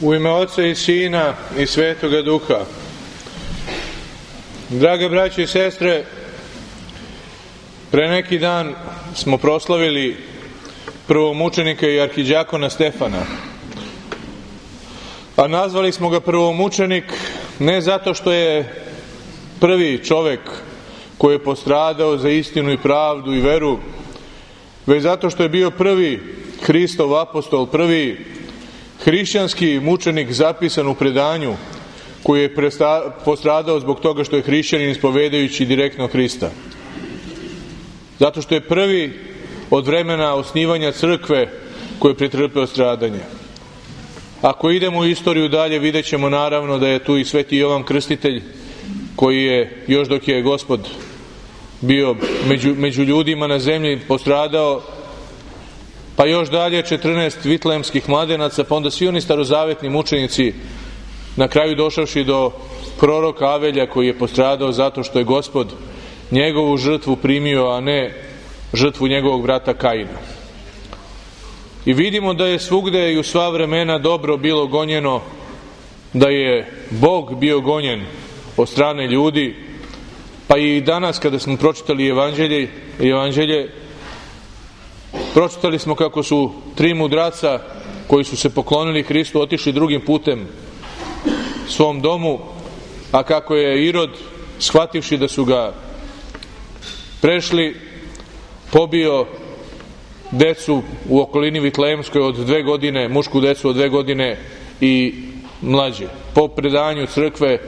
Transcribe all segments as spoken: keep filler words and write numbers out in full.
U ime Oca i Sina i Svetoga Duha. Draga braćo i sestre, pre neki dan smo proslavili prvomučenika i arhidijakona Stefana. A nazvali smo ga prvomučenik ne zato što je prvi čovek koji je postradao za istinu i pravdu i veru, već zato što je bio prvi Hristov apostol, prvi hrišćanski mučenik zapisan u predanju koji je postradao zbog toga što je hrišćanin ispovedajući direktno Hrista. Zato što je prvi od vremena osnivanja crkve koji je pretrpeo stradanje. Ako idemo u istoriju dalje, vidjet ćemo naravno da je tu i Sveti Jovan Krstitelj, koji je, još dok je Gospod bio među, među ljudima na zemlji, postradao, pa još dalje četrnaest vitlejemskih mladenaca, pa onda svi oni starozavetni mučenici, na kraju došavši do proroka Avelja, koji je postradao zato što je Gospod njegovu žrtvu primio, a ne žrtvu njegovog brata Kaina. I vidimo da je svugde i u sva vremena dobro bilo gonjeno, da je Bog bio gonjen od strane ljudi, pa i danas kada smo pročitali evanđelje, evanđelje pročitali smo kako su tri mudraca koji su se poklonili Hristu otišli drugim putem svom domu, a kako je Irod, shvativši da su ga prešli, pobio decu u okolini Vitlejemskoj od dve godine, mušku decu od dve godine i mlađe. Po predanju crkve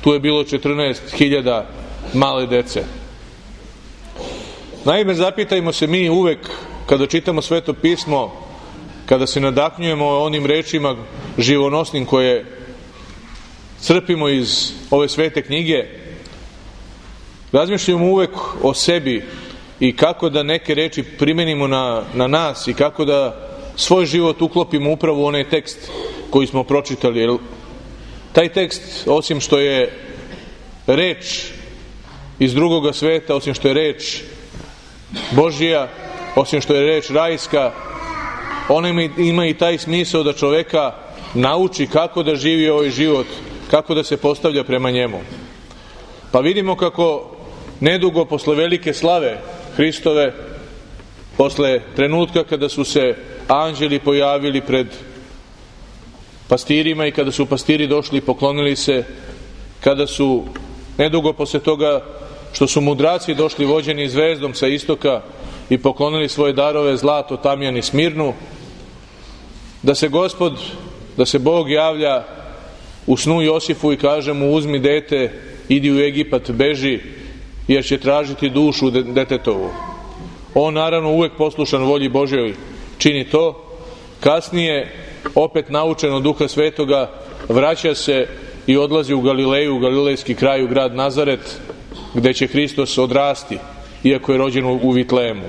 tu je bilo četrnaest hiljada male dece. Naime, zapitajmo se mi uvek kada čitamo Sveto pismo, kada se nadahnjujemo onim rečima živonosnim koje crpimo iz ove svete knjige, razmišljamo uvek o sebi i kako da neke reči primenimo na, na nas i kako da svoj život uklopimo upravo u onaj tekst koji smo pročitali. Jer taj tekst, osim što je reč iz drugoga sveta, osim što je reč Božija, osim što je reč rajska, ona ima i taj smisao da čoveka nauči kako da živi ovaj život, kako da se postavlja prema njemu. Pa vidimo kako nedugo posle velike slave Hristove, posle trenutka kada su se anđeli pojavili pred pastirima i kada su pastiri došli i poklonili se, kada su nedugo posle toga što su mudraci došli vođeni zvezdom sa istoka i poklonili svoje darove, zlato, tamjan i smirnu, da se Gospod, da se Bog javlja u snu Josifu i kaže mu: uzmi dete, idi u Egipat, beži, jer će tražiti dušu detetovu. On naravno uvek poslušan volji Božjoj čini to. Kasnije, opet naučen od Duha Svetoga, vraća se i odlazi u Galileju, u galilejski kraj, u grad Nazaret, gde će Hristos odrasti, iako je rođen u Vitlejemu.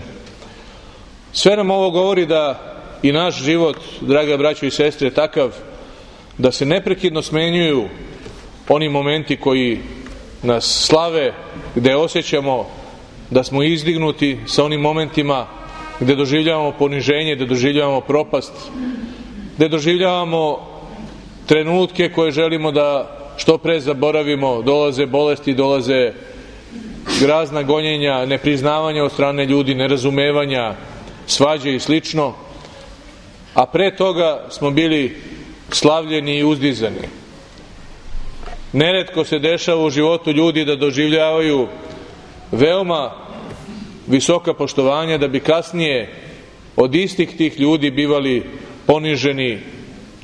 Sve nam ovo govori da i naš život, draga braćo i sestre, je takav da se neprekidno smenjuju oni momenti koji nas slave, gde osjećamo da smo izdignuti, sa onim momentima gde doživljavamo poniženje, gde doživljavamo propast, gde doživljavamo trenutke koje želimo da što pre zaboravimo. Dolaze bolesti, dolaze razna gonjenja, nepriznavanja od strane ljudi, nerazumevanja, svađe i slično. A pre toga smo bili slavljeni i uzdizani. Neretko se dešava u životu ljudi da doživljavaju veoma visoka poštovanja, da bi kasnije od istih tih ljudi bivali poniženi,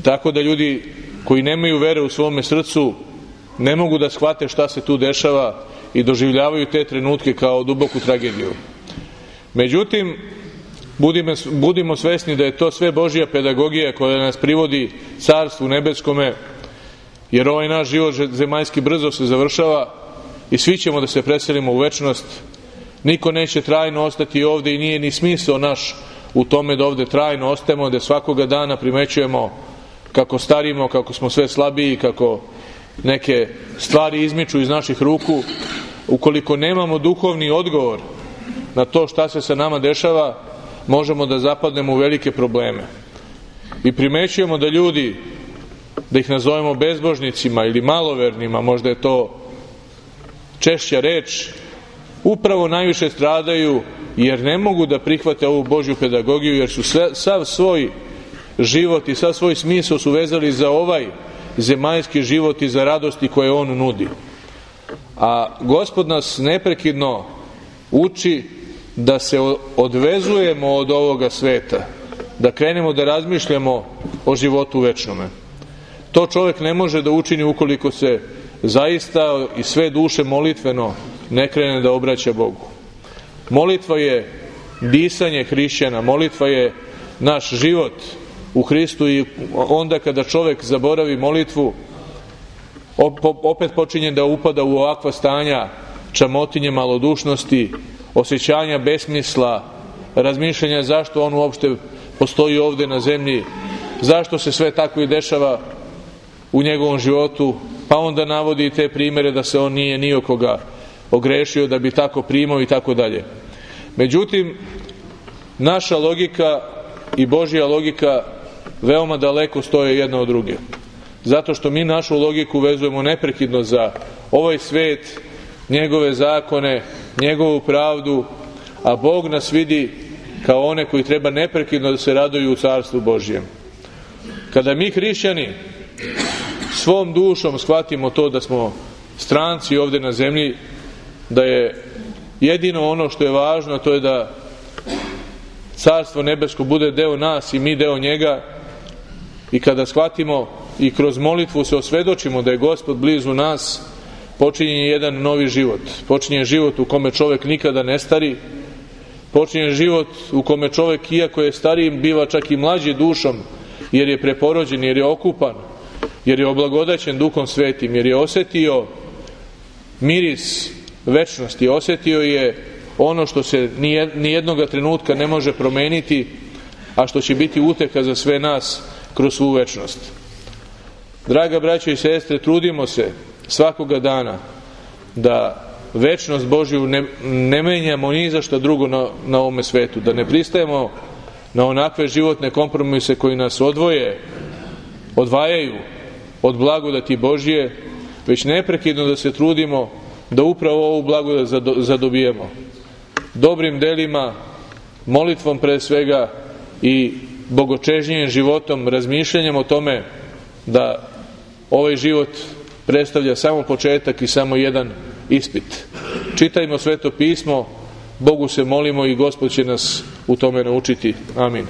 tako da ljudi koji nemaju vere u svome srcu ne mogu da shvate šta se tu dešava i doživljavaju te trenutke kao duboku tragediju. Međutim, budimo, budimo svesni da je to sve Božja pedagogija koja nas privodi Carstvu nebeskome, jer ovaj naš život zemaljski brzo se završava i svi ćemo da se preselimo u večnost. Niko neće trajno ostati ovde i nije ni smisao naš u tome da ovde trajno ostajemo, da svakoga dana primećujemo kako starimo, kako smo sve slabiji, kako neke stvari izmiču iz naših ruku. Ukoliko nemamo duhovni odgovor na to šta se sa nama dešava, možemo da zapadnemo u velike probleme. I primećujemo da ljudi da ih nazovemo bezbožnicima ili malovernima, možda je to češća reč, upravo najviše stradaju jer ne mogu da prihvate ovu Božju pedagogiju, jer su sve, sav svoj život i sav svoj smisao su vezali za ovaj zemaljski život i za radosti koje on nudi. A Gospod nas neprekidno uči da se odvezujemo od ovoga sveta, da krenemo da razmišljamo o životu večnome. To čovjek ne može da učini ukoliko se zaista i sve duše molitveno ne krene da obraća Bogu. Molitva je disanje hrišćana, molitva je naš život u Hristu i onda kada čovjek zaboravi molitvu, opet počinje da upada u ovakva stanja čamotinje, malodušnosti, osjećanja besmisla, razmišljanja zašto on uopšte postoji ovdje na zemlji, zašto se sve tako i dešava u njegovom životu, pa onda navodi te primjere da se on nije ni okoga ogrešio da bi tako primao i tako dalje. Međutim, naša logika i Božja logika veoma daleko stoje jedna od druge. Zato što mi našu logiku vezujemo neprekidno za ovaj svet, njegove zakone, njegovu pravdu, a Bog nas vidi kao one koji treba neprekidno da se raduju u Carstvu Božjem. Kada mi hrišćani svom dušom shvatimo to da smo stranci ovdje na zemlji, da je jedino ono što je važno, to je da Carstvo nebesko bude deo nas i mi deo njega, i kada shvatimo i kroz molitvu se osvedočimo da je Gospod blizu nas, počinje jedan novi život. Počinje život u kome čovjek nikada ne stari, počinje život u kome čovjek, iako je stariji, biva čak i mlađi dušom, jer je preporođen, jer je okupan, jer je oblagodaćen Duhom Svetim, jer je osjetio miris večnosti, osjetio je ono što se nijednoga trenutka ne može promeniti, a što će biti uteka za sve nas kroz svu večnost. Draga braćo i sestre, trudimo se svakoga dana da večnost Božju ne, ne menjamo ni za što drugo na, na ovome svetu, da ne pristajemo na onakve životne kompromise koji nas odvoje, odvajaju od blagodati Božje, već neprekidno da se trudimo da upravo ovu blagodat zadobijemo. Dobrim delima, molitvom pre svega i bogočežnjim životom, razmišljanjem o tome da ovaj život predstavlja samo početak i samo jedan ispit. Čitajmo Sveto pismo, Bogu se molimo i Gospod će nas u tome naučiti. Amin.